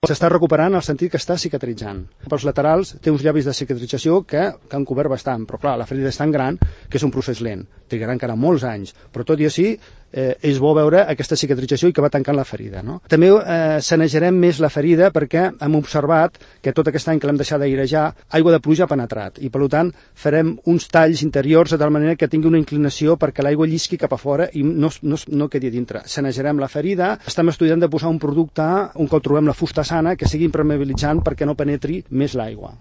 S'està recuperant en el sentit que està cicatritzant. Pels laterals té uns llavis de cicatrització que han cobert bastant, però clar, la ferida és tan gran que és un procés lent. Trigarà encara molts anys, però tot i així és bo veure aquesta cicatrització i que va tancant la ferida. No? També sanejarem més la ferida perquè hem observat que tot aquest any que l'hem deixat d'airejar, aigua de pluja ha penetrat i per tant farem uns talls interiors de tal manera que tingui una inclinació perquè l'aigua llisqui cap a fora i no quedi a dintre. Sanejarem la ferida, estem estudiant de posar un producte, un cop trobem la fusta sana, que sigui impermeabilitzant perquè no penetri més l'aigua.